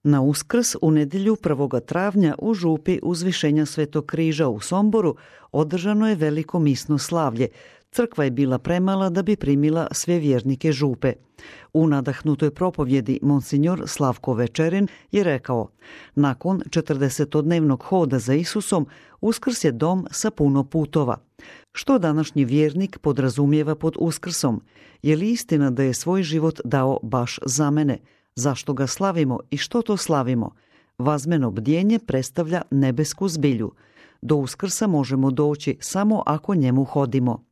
Na Uskrs u nedjelju 1. travnja u župi Uzvišenja Svetog križa u Somboru održano je veliko misno slavlje. Crkva je bila premala da bi primila sve vjernike župe. U nadahnutoj propovjedi monsignor Slavko Večerin je rekao: nakon 40-dnevnog hoda za Isusom, Uskrs je dom sa puno putova. Što današnji vjernik podrazumijeva pod Uskrsom? Je li istina da je svoj život dao baš za mene? Zašto ga slavimo i što to slavimo? Vazmeno bdjenje predstavlja nebesku zbilju. Do Uskrsa možemo doći samo ako njemu hodimo.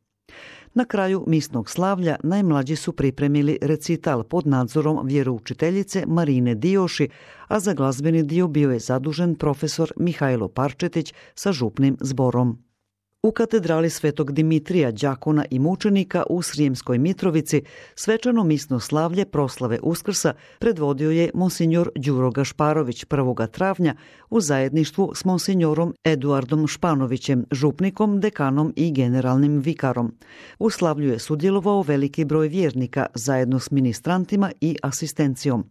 Na kraju misnog slavlja najmlađi su pripremili recital pod nadzorom vjeroučiteljice Marine Dioši, a za glazbeni dio bio je zadužen profesor Mihajlo Parčetić sa župnim zborom. U katedrali Svetog Dimitrija, đakona i mučenika u Srijemskoj Mitrovici svečano misno slavlje proslave Uskrsa predvodio je monsignor Đuro Gašparović 1. travnja u zajedništvu s monsignorom Eduardom Španovićem, župnikom, dekanom i generalnim vikarom. U slavlju je sudjelovao veliki broj vjernika zajedno s ministrantima i asistencijom.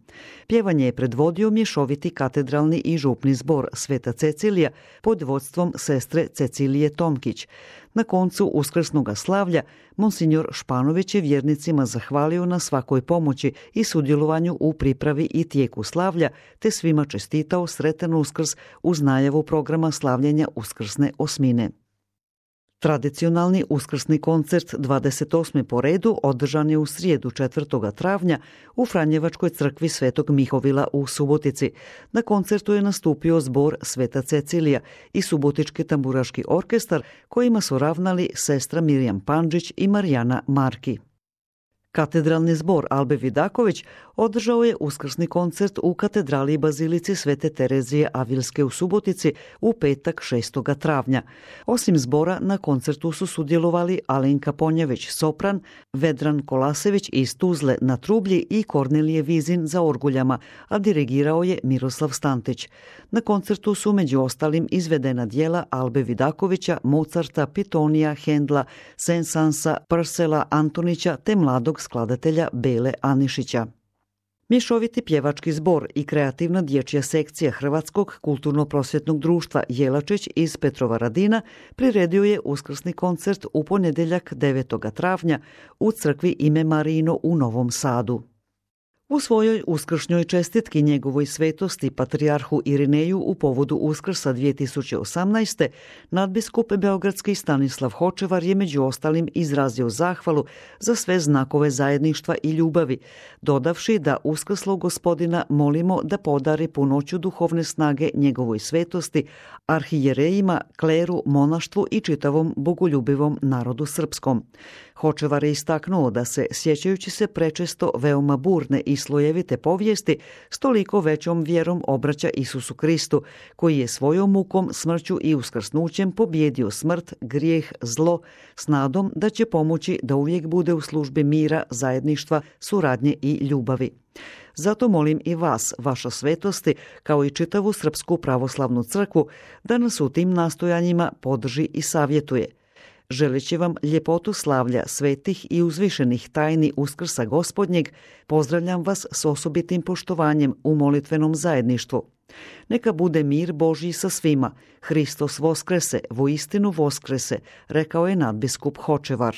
Pjevanje je predvodio mješoviti katedralni i župni zbor Sveta Cecilija pod vodstvom sestre Cecilije Tomkić. Na koncu uskrsnog slavlja monsignor Španović je vjernicima zahvalio na svakoj pomoći i sudjelovanju u pripravi i tijeku slavlja, te svima čestitao sretan Uskrs uz najavu programa slavljenja uskrsne osmine. Tradicionalni uskrsni koncert 28. po redu održan je u srijedu 4. travnja u Franjevačkoj crkvi Svetog Mihovila u Subotici. Na koncertu je nastupio zbor Sveta Cecilija i Subotički tamburaški orkestar kojima su ravnali sestra Mirjam Pandžić i Marijana Marki. Katedralni zbor Albe Vidaković održao je uskrsni koncert u katedrali i bazilici Svete Terezije Avilske u Subotici u petak 6. travnja. Osim zbora na koncertu su sudjelovali Alenka Ponjević sopran, Vedran Kolasević iz Tuzle na trublji i Kornelije Vizin za orguljama, a dirigirao je Miroslav Stantić. Na koncertu su među ostalim izvedena djela Albe Vidakovića, Mozarta, Pitonija, Hendla, Sensansa, Prsela, Antonića te mladog skladatelja Bele Anišića. Mješoviti pjevački zbor i kreativna dječja sekcija Hrvatskog kulturno-prosvjetnog društva Jelačić iz Petrovaradina priredio je uskrsni koncert u ponedjeljak 9. travnja u crkvi Ime Marino u Novom Sadu. U svojoj uskršnjoj čestitki njegovoj svetosti patrijarhu Irineju u povodu Uskrsa 2018. nadbiskup beogradski Stanislav Hočevar je među ostalim izrazio zahvalu za sve znakove zajedništva i ljubavi, dodavši da uskrslog Gospodina molimo da podari punoću duhovne snage njegovoj svetosti, arhijerejima, kleru, monaštvu i čitavom bogoljubivom narodu srpskom. Hočevar je istaknuo da se, sjećajući se prečesto veoma burne i slojevite povijesti, s toliko većom vjerom obraća Isusu Kristu, koji je svojom mukom, smrću i uskrsnućem pobjedio smrt, grijeh, zlo, s nadom da će pomoći da uvijek bude u službi mira, zajedništva, suradnje i ljubavi. Zato molim i vas, vaša svetosti, kao i čitavu Srpsku pravoslavnu crkvu, da nas u tim nastojanjima podrži i savjetuje. Želeći vam ljepotu slavlja svetih i uzvišenih tajni Uskrsa Gospodnjeg, pozdravljam vas s osobitim poštovanjem u molitvenom zajedništvu. Neka bude mir Božji sa svima. Hristos voskrese, voistinu voskrese, rekao je nadbiskup Hočevar.